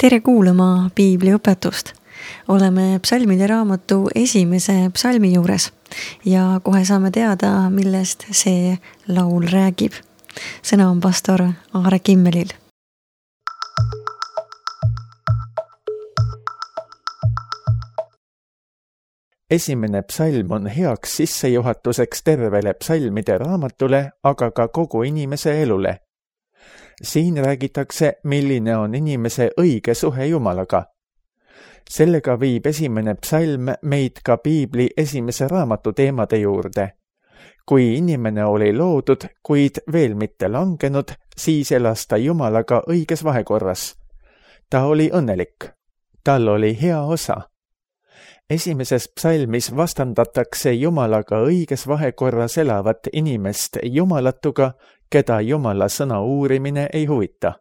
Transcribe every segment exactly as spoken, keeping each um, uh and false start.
Tere kuulama piibliõpetust. Oleme psalmide raamatu esimese psalmi juures ja kohe saame teada, millest see laul räägib. Sõna on pastor Aare Kimmelil. Esimene psalm on heaks sissejuhatuseks tervele psalmide raamatule, aga ka kogu inimese elule. Siin räägitakse, milline on inimese õige suhe Jumalaga. Sellega viib esimene psalm meid ka piibli esimese raamatu teemade juurde. Kui inimene oli loodud, kuid veel mitte langenud, siis elas ta Jumalaga õiges vahekorras. Ta oli õnnelik. Tal oli hea osa. Esimeses psalmis vastandatakse Jumalaga õiges vahekorras elavat inimest jumalatuga, keda Jumala sõna uurimine ei huvita.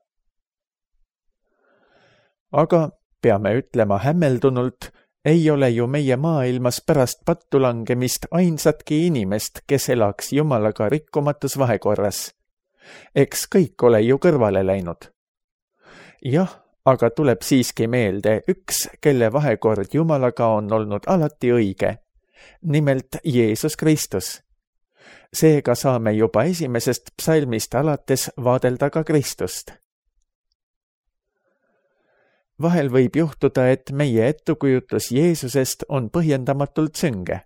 Aga peame ütlema hämmeldunult, ei ole ju meie maailmas pärast pattulangemist ainsatki inimest, kes elaks Jumalaga rikkumatus vahekorras. Eks kõik ole ju kõrvale läinud. Jah, aga tuleb siiski meelde üks, kelle vahekord Jumalaga on olnud alati õige, nimelt Jeesus Kristus. Seega saame juba esimesest psalmist alates vaadelda ka Kristust. Vahel võib juhtuda, et meie ettukujutlus Jeesusest on põhjendamatult sünge.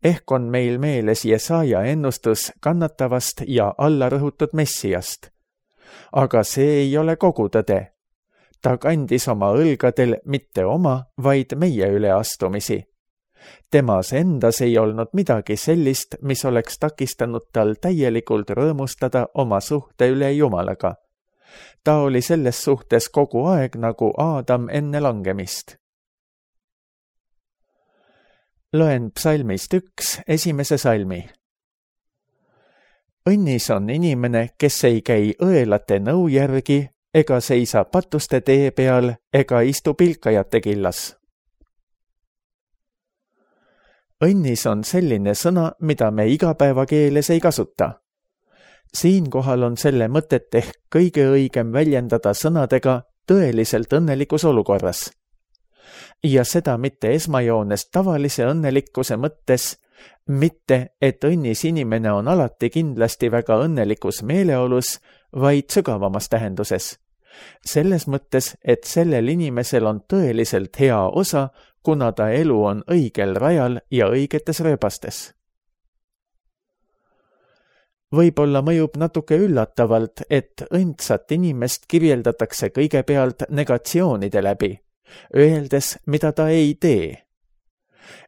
Ehk on meil meeles Jesaja ennustus kannatavast ja allarõhutud Messiast. Aga see ei ole kogu tõde. Ta kandis oma õlgadel mitte oma, vaid meie üleastumisi. Temas endas ei olnud midagi sellist, mis oleks takistanud tal täielikult rõõmustada oma suhte üle Jumalaga. Ta oli selles suhtes kogu aeg nagu Aadam enne langemist. Loen psalmist üks esimese salmi. Õnnis on inimene, kes ei käi õelate nõu järgi, ega seisa patuste tee peal, ega istu pilkajate killas. Õnnis on selline sõna, mida me igapäevakeeles ei kasuta. Siinkohal on selle mõtet ehk kõige õigem väljendada sõnadega tõeliselt õnnelikus olukorras. Ja seda mitte esmajoones tavalise õnnelikkuse mõttes, mitte, et õnnis inimene on alati kindlasti väga õnnelikus meeleolus, vaid sügavamas tähenduses. Selles mõttes, et sellel inimesel on tõeliselt hea osa, kuna ta elu on õigel rajal ja õigetes rööbastes. Võib-olla mõjub natuke üllatavalt, et õndsat inimest kirjeldatakse kõigepealt negatsioonide läbi, öeldes, mida ta ei tee.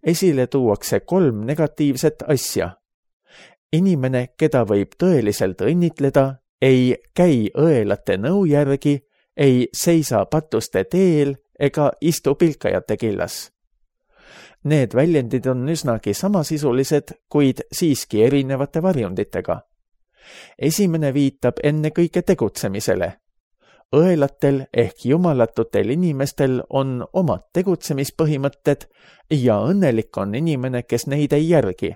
Esile tuuakse kolm negatiivset asja. Inimene, keda võib tõeliselt õnnitleda, ei käi õelate nõu järgi, ei seisa patuste teel ega istu pilkajate killas. Need väljendid on üsnagi samasisulised, kuid siiski erinevate varjunditega. Esimene viitab ennekõike tegutsemisele. Õelatel ehk jumalatutel inimestel on omad tegutsemispõhimõtted ja õnnelik on inimene, kes neid ei järgi.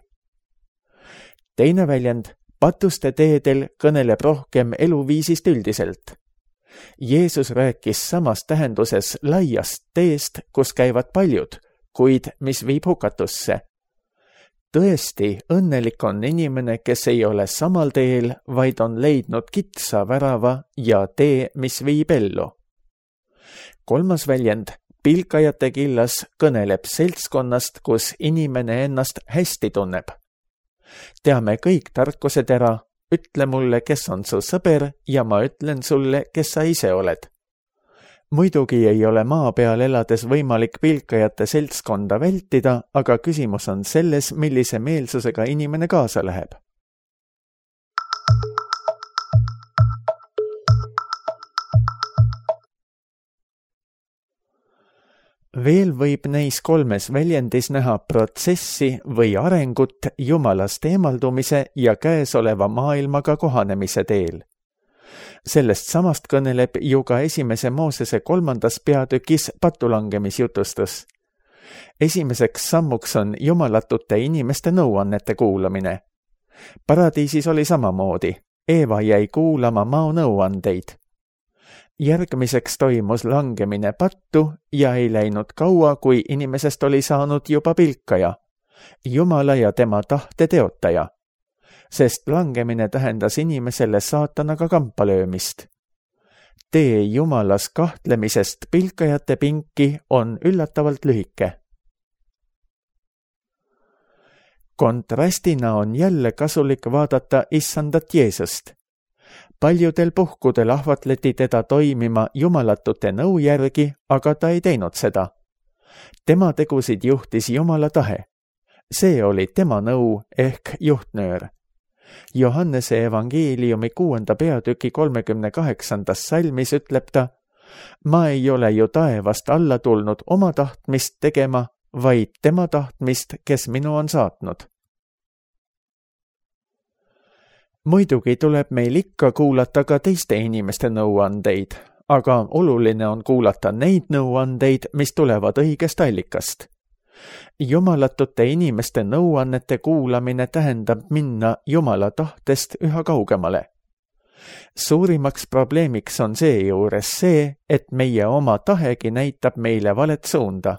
Teine väljend, patuste teedel kõneleb rohkem eluviisist üldiselt. Jeesus rääkis samas tähenduses laiast teest, kus käivad paljud, kuid mis viib hukatusse. Tõesti, õnnelik on inimene, kes ei ole samal teel, vaid on leidnud kitsa värava ja tee, mis viib ellu. Kolmas väljend, pilkajate killas, kõneleb seltskonnast, kus inimene ennast hästi tunneb. Teame kõik tarkused ära, ütle mulle, kes on su sõber ja ma ütlen sulle, kes sa ise oled. Muidugi ei ole maa peal elades võimalik pilkajate seltskonda vältida, aga küsimus on selles, millise meelsusega inimene kaasa läheb. Veel võib neis kolmes väljendis näha protsessi või arengut Jumalast eemaldumise ja käesoleva maailmaga kohanemise teel. Sellest samast kõneleb ju ka esimese Moosese kolmandas peatükis patulangemisjutustus. Esimeseks sammuks on jumalatute inimeste nõuannete kuulamine. Paradiisis oli samamoodi. Eeva jäi kuulama mao nõuandeid. Järgmiseks toimus langemine pattu ja ei läinud kaua, kui inimesest oli saanud juba pilkaja, Jumala ja tema tahte teotaja, sest langemine tähendas inimesele saatanaga kampa löömist. Tee Jumalas kahtlemisest pilkajate pinki on üllatavalt lühike. Kontrastina on jälle kasulik vaadata issandat Jeesust. Paljudel puhkudel ahvatleti teda toimima jumalatute nõu järgi, aga ta ei teinud seda. Tema tegusid juhtis Jumala tahe. See oli tema nõu ehk juhtnöör. Johannese evangeeliumi kuuenda peatüki kolmekümne kaheksandas salmis ütleb ta: ma ei ole ju taevast alla tulnud oma tahtmist tegema, vaid tema tahtmist, kes minu on saatnud. Muidugi tuleb meil ikka kuulata ka teiste inimeste nõuandeid, aga oluline on kuulata neid nõuandeid, mis tulevad õigest allikast. Jumalatute inimeste nõuannete kuulamine tähendab minna Jumala tahtest üha kaugemale. Suurimaks probleemiks on seejuures see, et meie oma tahegi näitab meile valet suunda.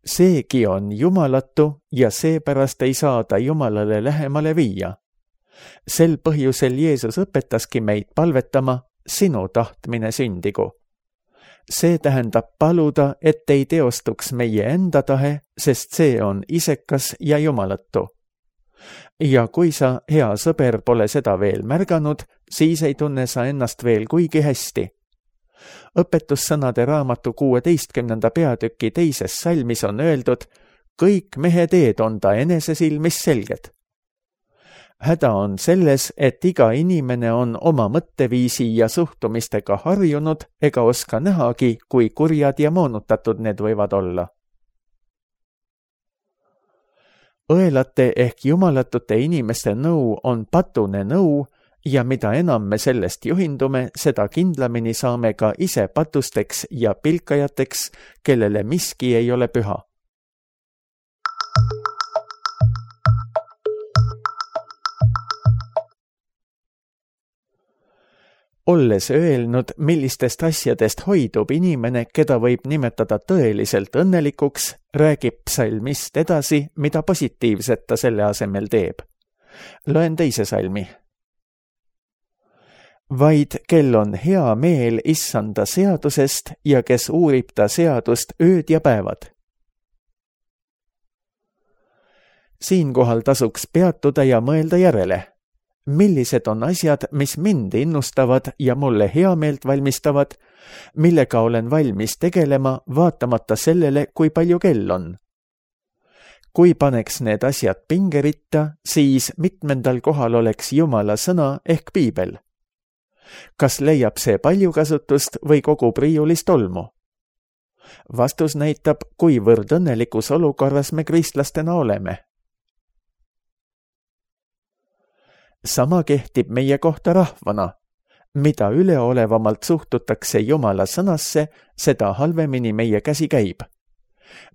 Seegi on jumalatu ja seepärast ei saa ta Jumalale lähemale viia. Sel põhjusel Jeesus õpetaski meid palvetama: sinu tahtmine sündigu. See tähendab paluda, et ei teostuks meie enda tahe, sest see on isekas ja jumalatu. Ja kui sa, hea sõber, pole seda veel märganud, siis ei tunne sa ennast veel kuigi hästi. Õpetussõnade raamatu kuueteistkümnenda peatüki teises salmis on öeldud: kõik mehe teed on ta enese silmis selged. Häda on selles, et iga inimene on oma mõtteviisi ja suhtumistega harjunud ega oska nähagi, kui kurjad ja moonutatud need võivad olla. Õelate ehk jumalatute inimeste nõu on patune nõu ja mida enam me sellest juhindume, seda kindlamini saame ka ise patusteks ja pilkajateks, kellele miski ei ole püha. Olles öelnud, millistest asjadest hoidub inimene, keda võib nimetada tõeliselt õnnelikuks, räägib psalmist edasi, mida positiivset ta selle asemel teeb. Loen teise salmi. Vaid kel on hea meel issanda seadusest ja kes uurib ta seadust ööd ja päevad. Siinkohal tasuks peatuda ja mõelda järele. Millised on asjad, mis mind innustavad ja mulle heameelt valmistavad, millega olen valmis tegelema, vaatamata sellele, kui palju kell on? Kui paneks need asjad pingeritta, siis mitmendal kohal oleks Jumala sõna ehk piibel. Kas leiab see palju kasutust või kogub riiulist tolmu? Vastus näitab, kuivõrd õnnelikus olukorras me kristlastena oleme. Sama kehtib meie kohta rahvana. Mida üleolevamalt suhtutakse Jumala sõnasse, seda halvemini meie käsi käib.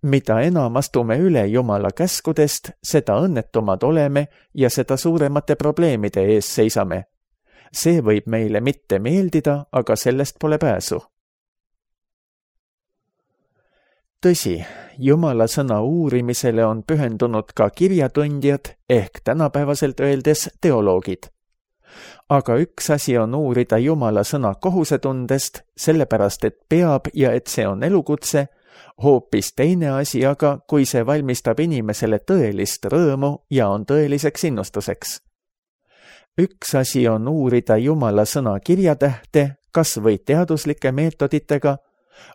Mida enam astume üle Jumala käskudest, seda õnnetumad oleme ja seda suuremate probleemide ees seisame. See võib meile mitte meeldida, aga sellest pole pääsu. Tõsi, Jumala sõna uurimisele on pühendunud ka kirjatundjad ehk tänapäevaselt öeldes teoloogid. Aga üks asi on uurida Jumala sõna kohusetundest, sellepärast et peab ja et see on elukutse, hoopis teine asi aga, kui see valmistab inimesele tõelist rõõmu ja on tõeliseks innustuseks. Üks asi on uurida Jumala sõna kirjatähte, kas või teaduslike meetoditega,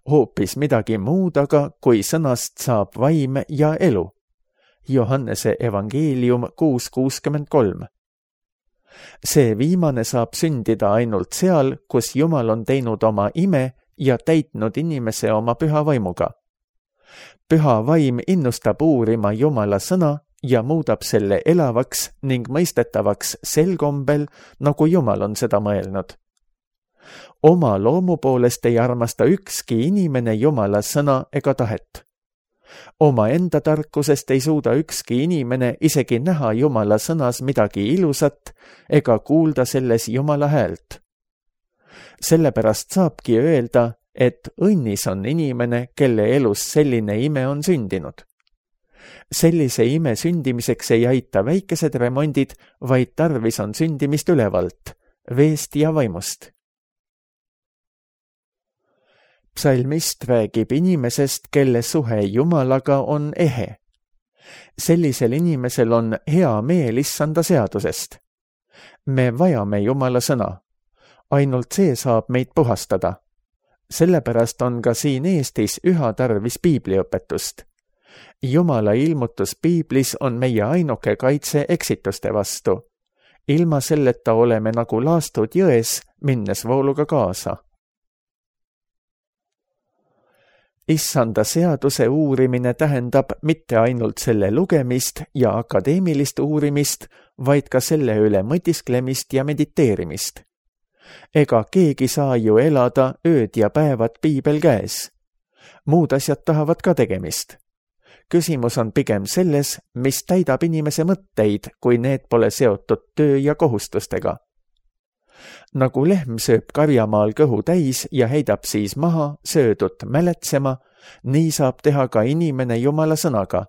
hoopis midagi muud aga, kui sõnast saab vaim ja elu. Johannese evangeelium kuus kuuskümmend kolm. See viimane saab sündida ainult seal, kus Jumal on teinud oma ime ja täitnud inimese oma püha vaimuga. Püha vaim innustab uurima Jumala sõna ja muudab selle elavaks ning mõistetavaks sel kombel, nagu Jumal on seda mõelnud. Oma loomu poolest ei armasta ükski inimene Jumala sõna ega tahet. Oma enda tarkusest ei suuda ükski inimene isegi näha Jumala sõnas midagi ilusat ega kuulda selles Jumala häält. sellepärast saabki öelda, et õnnis on inimene, kelle elus selline ime on sündinud. Sellise ime sündimiseks ei aita väikesed remondid, vaid tarvis on sündimist ülevalt, veest ja vaimust. Psalmist räägib inimesest, kelle suhe Jumalaga on ehe. Sellisel inimesel on hea meel issanda seadusest. Me vajame Jumala sõna. Ainult see saab meid puhastada. Sellepärast on ka siin Eestis üha tarvis piibliõpetust. Jumala ilmutus piiblis on meie ainuke kaitse eksituste vastu. Ilma selleta oleme nagu laastud jões, minnes vooluga kaasa. Issanda seaduse uurimine tähendab mitte ainult selle lugemist ja akadeemilist uurimist, vaid ka selle üle mõtisklemist ja mediteerimist. Ega keegi saa ju elada ööd ja päevad piibel käes. Muud asjad tahavad ka tegemist. Küsimus on pigem selles, mis täidab inimese mõtteid, kui need pole seotud töö ja kohustustega. Nagu lehm sööb karjamaal kõhu täis ja heidab siis maha söödut mäletsema, nii saab teha ka inimene Jumala sõnaga.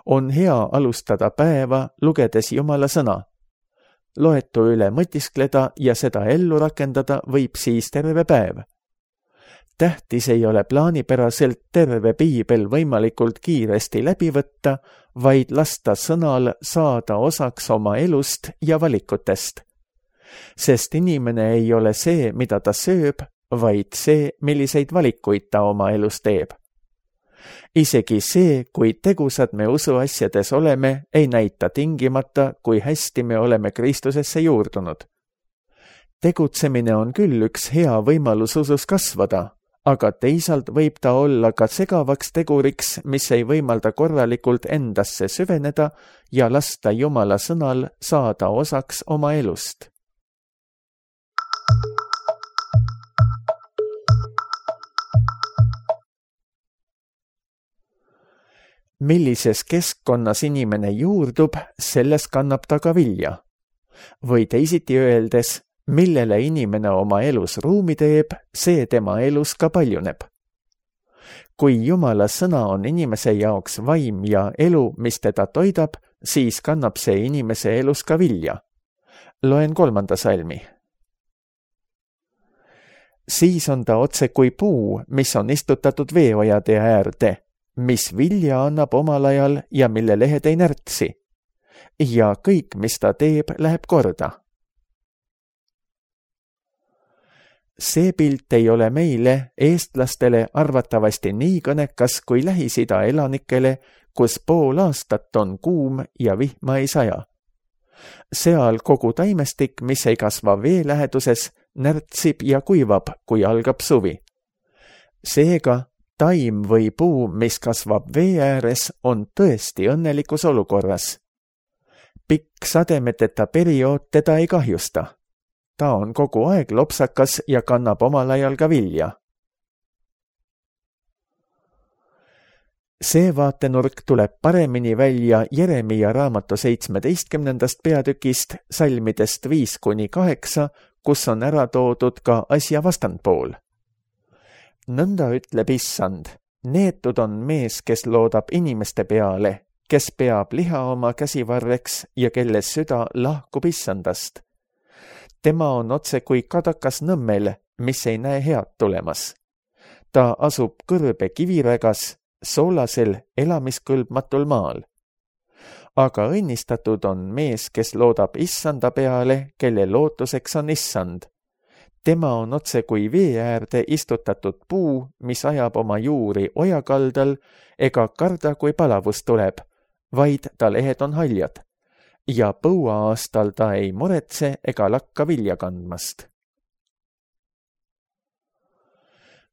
On hea alustada päeva, lugedes Jumala sõna. Loetu üle mõtiskleda ja seda ellu rakendada võib siis terve päev. Tähtis ei ole plaanipäraselt terve piibel võimalikult kiiresti läbi võtta, vaid lasta sõnal saada osaks oma elust ja valikutest. Sest inimene ei ole see, mida ta sööb, vaid see, milliseid valikuid ta oma elus teeb. Isegi see, kui tegusad me usuasjades oleme, ei näita tingimata, kui hästi me oleme Kristusesse juurdunud. Tegutsemine on küll üks hea võimalus usus kasvada, aga teisalt võib ta olla ka segavaks teguriks, mis ei võimalda korralikult endasse süveneda ja lasta Jumala sõnal saada osaks oma elust. Millises keskkonnas inimene juurdub, selles kannab ta ka vilja. Või teisiti öeldes, millele inimene oma elus ruumi teeb, see tema elus ka paljuneb. Kui Jumala sõna on inimese jaoks vaim ja elu, mis teda toidab, siis kannab see inimese elus ka vilja. Loen kolmanda salmi. Siis on ta otse kui puu, mis on istutatud veeojade äärde, mis vilja annab omal ajal ja mille lehed ei närtsi. Ja kõik, mis ta teeb, läheb korda. See pilt ei ole meile, eestlastele, arvatavasti nii kõnekas kui Lähis-Ida elanikele, kus pool aastat on kuum ja vihma ei saja. Seal kogu taimestik, mis ei kasva vee läheduses, närtsib ja kuivab, kui algab suvi. Seega, taim või puu, mis kasvab vee ääres, on tõesti õnnelikus olukorras. Pikk sademeteta periood teda ei kahjusta. Ta on kogu aeg lopsakas ja kannab omal ajal ka vilja. See vaatenurk tuleb paremini välja Jeremia raamatu seitsmeteistkümnendast peatükist, salmidest viis kuni kaheksa, kus on ära toodud ka asja vastandpool. Nõnda ütleb issand, neetud on mees, kes loodab inimeste peale, kes peab liha oma käsivarreks ja kelle süda lahkub issandast. Tema on otse kui kadakas nõmmel, mis ei näe head tulemas. Ta asub kõrbe kivirägas, soolasel elamiskõlbmatul maal. Aga õnnistatud on mees, kes loodab issanda peale, kelle lootuseks on issand. Tema on otse kui vee äärde istutatud puu, mis ajab oma juuri ojakaldal, ega karda, kui palavus tuleb, vaid ta lehed on haljad. Ja põuaastal ta ei muretse ega lakka vilja kandmast.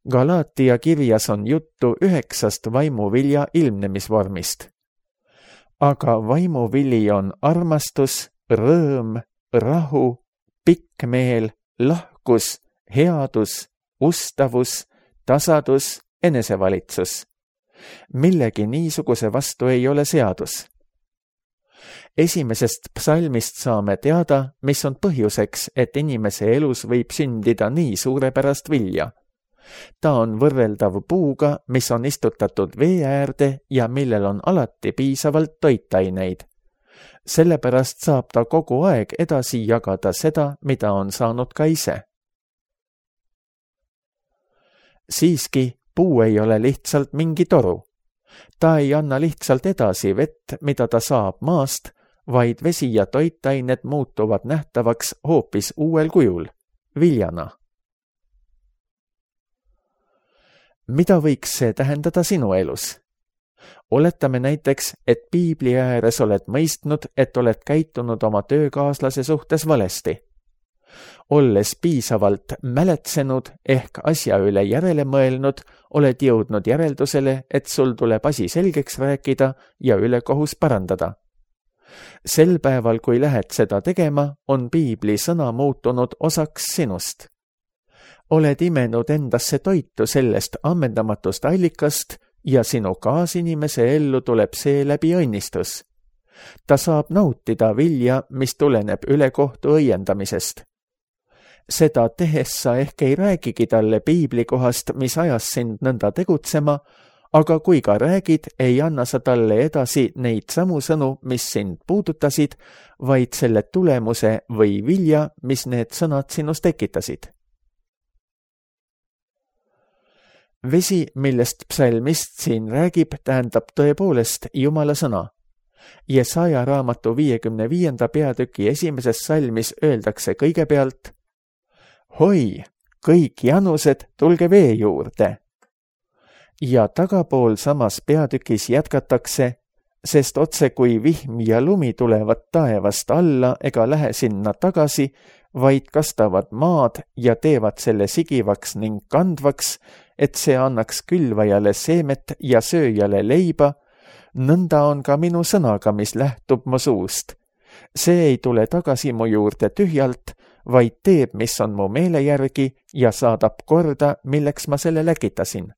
Galaatia kirjas on juttu üheksast vaimuvilja ilmnemisvormist. Aga vaimuvili on armastus, rõõm, rahu, pikk meel, lahkus, headus, ustavus, tasadus, enesevalitsus. Millegi niisuguse vastu ei ole seadus. Esimesest psalmist saame teada, mis on põhjuseks, et inimese elus võib sündida nii suurepärast vilja. Ta on võrreldav puuga, mis on istutatud vee äärde ja millel on alati piisavalt toitaineid. Sellepärast saab ta kogu aeg edasi jagada seda, mida on saanud ka ise. Siiski, puu ei ole lihtsalt mingi toru. Ta ei anna lihtsalt edasi vett, mida ta saab maast, vaid vesi ja toitained muutuvad nähtavaks hoopis uuel kujul, viljana. Mida võiks see tähendada sinu elus? Oletame näiteks, et piibli ääres oled mõistnud, et oled käitunud oma töökaaslase suhtes valesti. Olles piisavalt mäletsenud ehk asja üle järele mõelnud, oled jõudnud järeldusele, et sul tuleb asi selgeks rääkida ja ülekohus parandada. Sel päeval, kui lähed seda tegema, on piibli sõna muutunud osaks sinust. Oled imenud endasse toitu sellest ammendamatust allikast ja sinu kaasinimese ellu tuleb seeläbi õnnistus. Ta saab nautida vilja, mis tuleneb ülekohtu õiendamisest. Seda tehes sa ehk ei räägigi talle piibli kohast, mis ajas sind nõnda tegutsema, aga kui ka räägid, ei anna sa talle edasi neid samu sõnu, mis sind puudutasid, vaid selle tulemuse või vilja, mis need sõnad sinus tekitasid. Vesi, millest psalmist siin räägib, tähendab tõepoolest Jumala sõna. Jesaja raamatu viiekümne viienda peatüki esimeses salmis öeldakse kõigepealt: Hoi, kõik janused, tulge vee juurde. Ja tagapool samas peatükis jätkatakse, sest otse kui vihm ja lumi tulevad taevast alla ega lähe sinna tagasi, vaid kastavad maad ja teevad selle sigivaks ning kandvaks, et see annaks külvajale seemet ja sööjale leiba, nõnda on ka minu sõnaga, mis lähtub mu suust. See ei tule tagasi mu juurde tühjalt, vaid teeb, mis on mu meele järgi ja saadab korda, milleks ma selle läkitasin.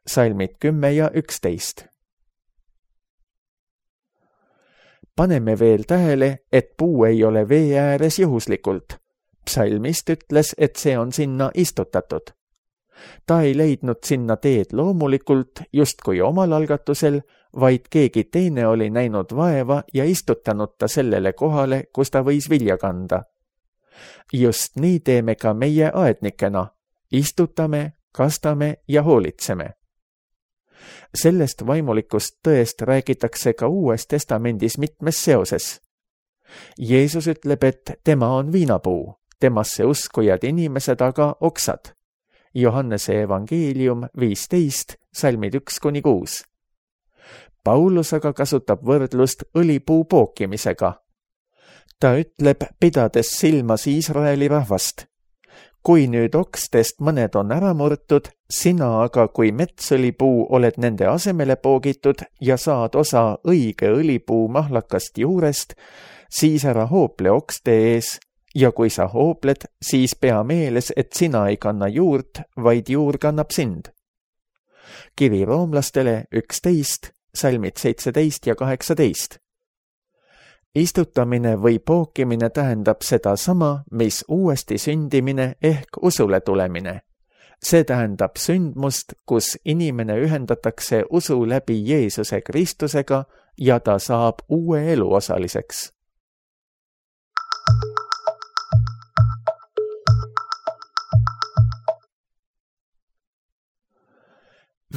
Salmid kümme ja üksteist. Paneme veel tähele, et puu ei ole vee ääres juhuslikult. Psalmist ütles, et see on sinna istutatud. Ta ei leidnud sinna teed loomulikult, justkui omal algatusel, vaid keegi teine oli näinud vaeva ja istutanud ta sellele kohale, kus ta võis vilja kanda. Just nii teeme ka meie aednikena. Istutame, kastame ja hoolitseme. Sellest vaimulikust tõest räägitakse ka Uues Testamendis mitmes seoses. Jeesus ütleb, et tema on viinapuu, temasse uskujad inimesed aga oksad. Johannese evangeelium viisteist, salmid üks kuni kuus. Paulus aga kasutab võrdlust õlipuu pookimisega. Ta ütleb, pidades silmas Iisraeli rahvast: kui nüüd okstest mõned on ära murtud, sina aga kui metsõlipuu oled nende asemele poogitud ja saad osa õige õlipuu mahlakast juurest, siis ära hoople okste ees, ja kui sa hoopled, siis pea meeles, et sina ei kanna juurt, vaid juur kannab sind. Kiri roomlastele üksteist, salmid seitseteist ja kaheksateist. Istutamine või pookimine tähendab seda sama, mis uuesti sündimine ehk usule tulemine. See tähendab sündmust, kus inimene ühendatakse usu läbi Jeesuse Kristusega ja ta saab uue elu osaliseks.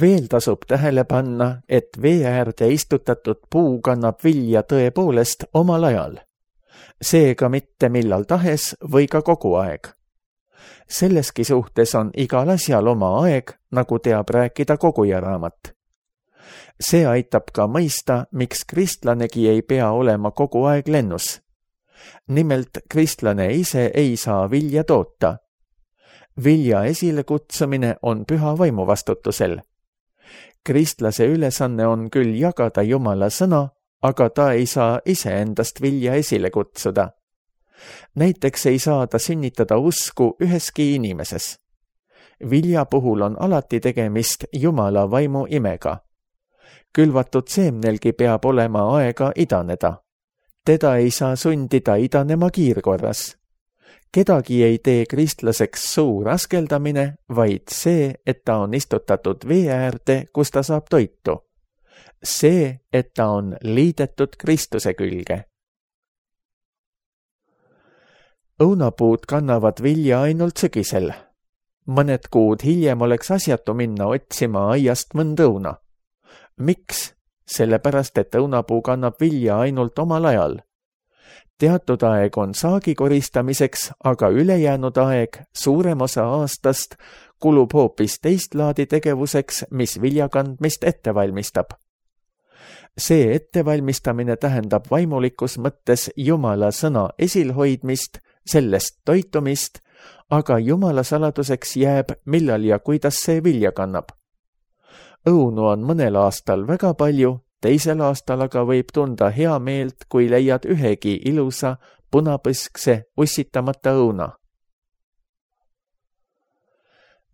Veel tasub tähele panna, et vee äärde istutatud puu kannab vilja tõepoolest omal ajal. Seega mitte millal tahes või ka kogu aeg. Selleski suhtes on igal asjal oma aeg, nagu teab rääkida koguja raamat. See aitab ka mõista, miks kristlanegi ei pea olema kogu aeg lennus. Nimelt, kristlane ise ei saa vilja toota. Vilja esilekutsumine on püha vaimu vastutusel. Kristlase ülesanne on küll jagada Jumala sõna, aga ta ei saa iseendast vilja esile kutsuda. Näiteks ei saa ta sünnitada usku üheski inimeses. Vilja puhul on alati tegemist Jumala vaimu imega. Külvatud seemnelgi peab olema aega idaneda. teda ei saa sundida idanema kiirkorras. Kedagi ei tee kristlaseks suu raskeldamine, vaid see, et ta on istutatud vee äärde, kus ta saab toitu. See, et ta on liidetud Kristuse külge. Õunapuud kannavad vilja ainult sügisel. Mõned kuud hiljem oleks asjatu minna otsima aiast mõnda õuna. Miks? Sellepärast, et õunapuu kannab vilja ainult omal ajal. Teatud aeg on saagi koristamiseks, aga ülejäänud aeg, suurem osa aastast, kulub hoopis teist laadi tegevuseks, mis viljakandmist ette valmistab. See ettevalmistamine tähendab vaimulikus mõttes Jumala sõna esilhoidmist, sellest toitumist, aga Jumala saladuseks jääb, millal ja kuidas see vilja kannab. Õunu on mõnel aastal väga palju, teisel aastal aga võib tunda hea meelt, kui leiad ühegi ilusa, punapõskse, ussitamata õuna.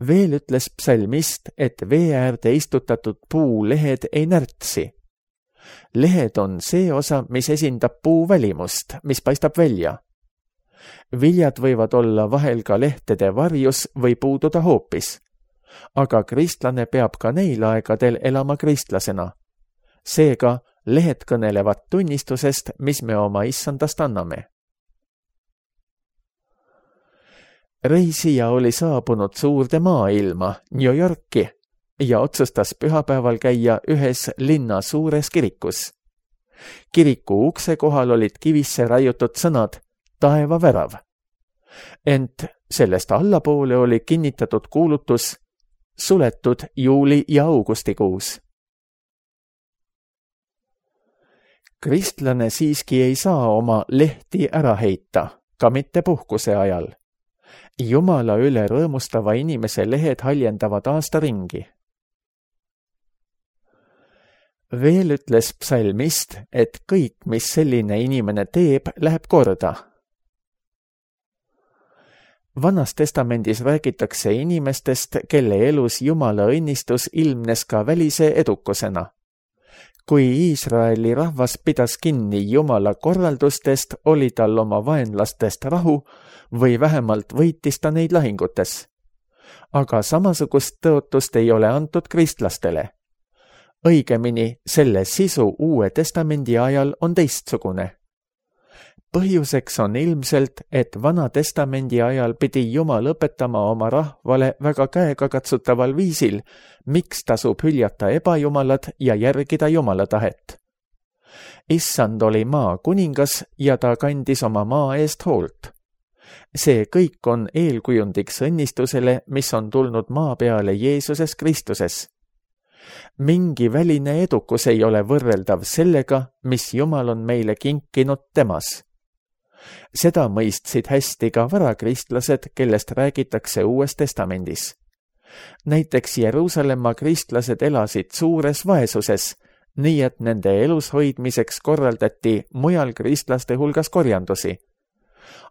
Veel ütles psalmist, et vee äärde istutatud puu lehed ei närtsi. Lehed on see osa, mis esindab puu välimust, mis paistab välja. Viljad võivad olla vahel ka lehtede varjus või puududa hoopis. Aga kristlane peab ka neil aegadel elama kristlasena. Seega lehed kõnelevad tunnistusest, mis me oma issandast anname. Reisija oli saabunud suurde maailma, New Yorki, ja otsustas pühapäeval käia ühes linna suures kirikus. Kiriku ukse kohal olid kivisse raiutud sõnad taeva värav. Ent sellest allapoole oli kinnitatud kuulutus suletud juuli ja augustikuus. Kristlane siiski ei saa oma lehti ära heita, ka mitte puhkuse ajal. Jumala üle rõõmustava inimese lehed haljendavad aasta ringi. Veel ütles psalmist, et kõik, mis selline inimene teeb, läheb korda. Vanas testamendis räägitakse inimestest, kelle elus Jumala õnnistus ilmnes ka välise edukusena. Kui Iisraeli rahvas pidas kinni Jumala korraldustest, oli tal oma vaenlastest rahu või vähemalt võitis ta neid lahingutes. Aga samasugust tõotust ei ole antud kristlastele. Õigemini, selle sisu Uue Testamendi ajal on teistsugune. Põhjuseks on ilmselt, et Vana Testamendi ajal pidi Jumal õpetama oma rahvale väga käegakatsutaval viisil, miks tasub hüljata ebajumalad ja järgida Jumala tahet. Issand oli maa kuningas ja ta kandis oma maa eest hoolt. See kõik on eelkujundiks õnnistusele, mis on tulnud maa peale Jeesuses Kristuses. Mingi väline edukus ei ole võrreldav sellega, mis Jumal on meile kinkinud temas. Seda mõistsid hästi ka varakristlased, kellest räägitakse Uues Testamendis. Näiteks Jeruusalemma kristlased elasid suures vaesuses, nii et nende elus hoidmiseks korraldati mujal kristlaste hulgas korjandusi.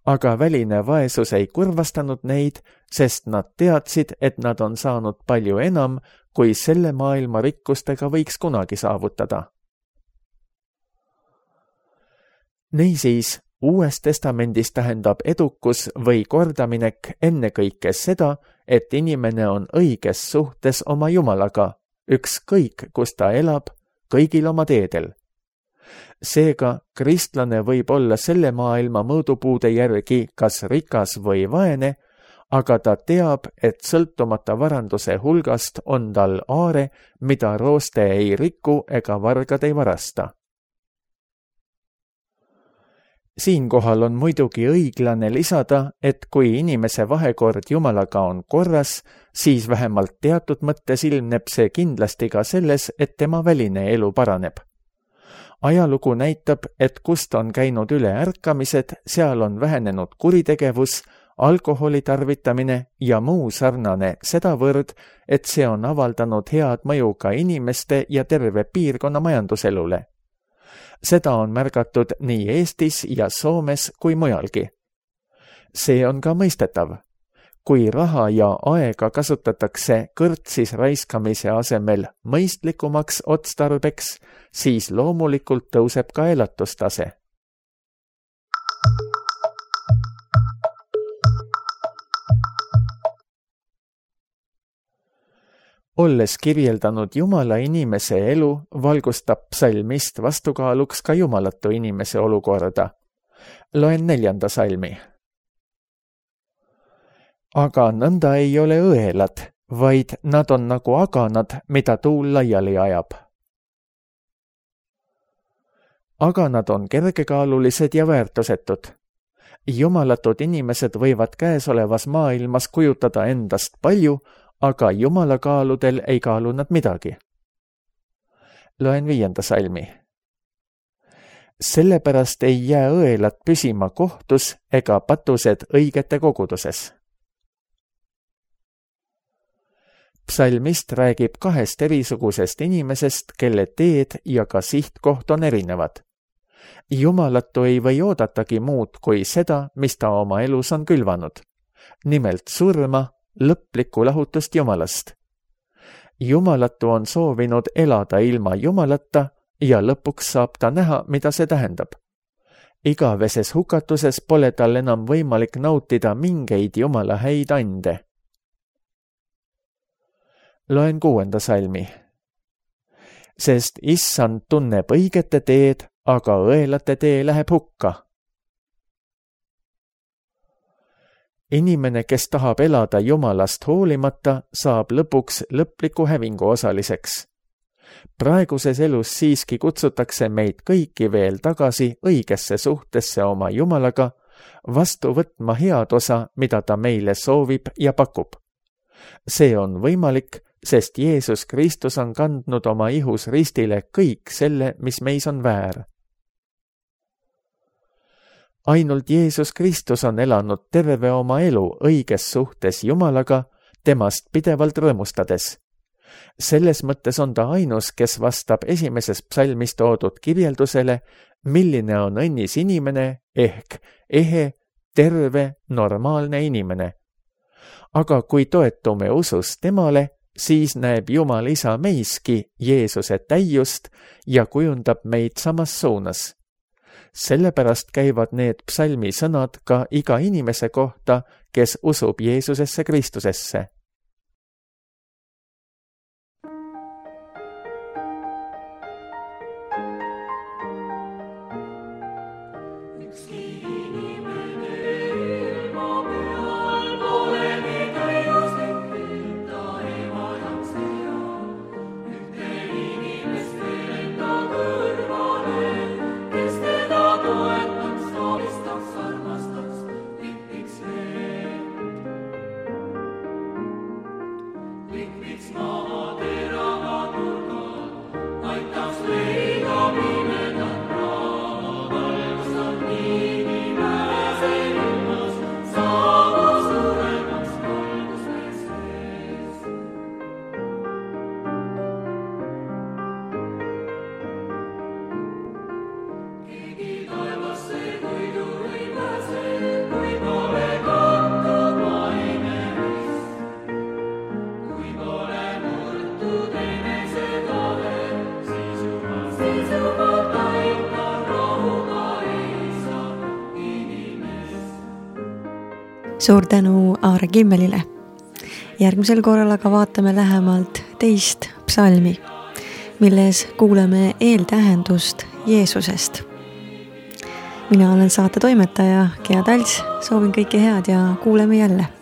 Aga väline vaesus ei kurvastanud neid, sest nad teadsid, et nad on saanud palju enam, kui selle maailma rikkustega võiks kunagi saavutada. Niisiis, Uues Testamendis tähendab edukus või kordaminek ennekõike seda, et inimene on õiges suhtes oma Jumalaga, ükskõik, kus ta elab, kõigil oma teedel. Seega, kristlane võib olla selle maailma mõõdupuude järgi kas rikas või vaene, aga ta teab, et sõltumata varanduse hulgast on tal aare, mida rooste ei riku ega vargad ei varasta. Siinkohal on muidugi õiglane lisada, et kui inimese vahekord Jumalaga on korras, siis vähemalt teatud mõttes ilmneb see kindlasti ka selles, et tema väline elu paraneb. Ajalugu näitab, et kust on käinud üle ärkamised, seal on vähenenud kuritegevus, alkoholi tarvitamine ja muu sarnane sedavõrd, et see on avaldanud head mõju ka inimeste ja terve piirkonna majanduselule. Seda on märgatud nii Eestis ja Soomes kui mujalgi. See on ka mõistetav. Kui raha ja aega kasutatakse kõrtsis raiskamise asemel mõistlikumaks otstarbeks, siis loomulikult tõuseb ka elatustase. olles kirjeldanud Jumala inimese elu, valgustab psalmist vastukaaluks ka jumalatu inimese olukorda. Loen neljanda salmi. Aga nõnda ei ole õelad, vaid nad on nagu aganad, mida tuul laiali ajab. Aganad on kergekaalulised ja väärtusetud. Jumalatud inimesed võivad käesolevas maailmas kujutada endast palju, aga Jumala kaaludel ei kaalu nad midagi. Loen viienda salmi. Sellepärast ei jää õelad püsima kohtus ega patused õigete koguduses. Psalmist räägib kahest erisugusest inimesest, kelle teed ja ka sihtkoht on erinevad. Jumalatu ei või oodatagi muud kui seda, mis ta oma elus on külvanud. Nimelt surma, lõplikku lahutust Jumalast. Jumalatu on soovinud elada ilma Jumalata ja lõpuks saab ta näha, mida see tähendab. Igaveses hukatuses pole tal enam võimalik nautida mingeid Jumala häid ande. Loen kuuenda salmi. Sest Issand tunneb õigete teed, aga õelate tee läheb hukka. Inimene, kes tahab elada Jumalast hoolimata, saab lõpuks lõpliku hävingu osaliseks. Praeguses elus siiski kutsutakse meid kõiki veel tagasi õigesse suhtesse oma Jumalaga, vastu võtma head osa, mida ta meile soovib ja pakub. See on võimalik, sest Jeesus Kristus on kandnud oma ihus ristile kõik selle, mis meis on väär. Ainult Jeesus Kristus on elanud terve oma elu õiges suhtes Jumalaga, temast pidevalt rõõmustades. Selles mõttes on ta ainus, kes vastab esimeses psalmis toodud kirjeldusele, milline on õnnis inimene ehk ehe, terve, normaalne inimene. Aga kui toetume usus temale, siis näeb Jumal Isa meiski Jeesuse täiust ja kujundab meid samas suunas. Sellepärast käivad need psalmi sõnad ka iga inimese kohta, kes usub Jeesusesse Kristusesse. Suur tänu Aare Kimmelile. Järgmisel korral aga vaatame lähemalt teist psalmi, milles kuuleme eeltähendust Jeesusest. Mina olen saate toimetaja Gea Talts, soovin kõike head ja kuuleme jälle.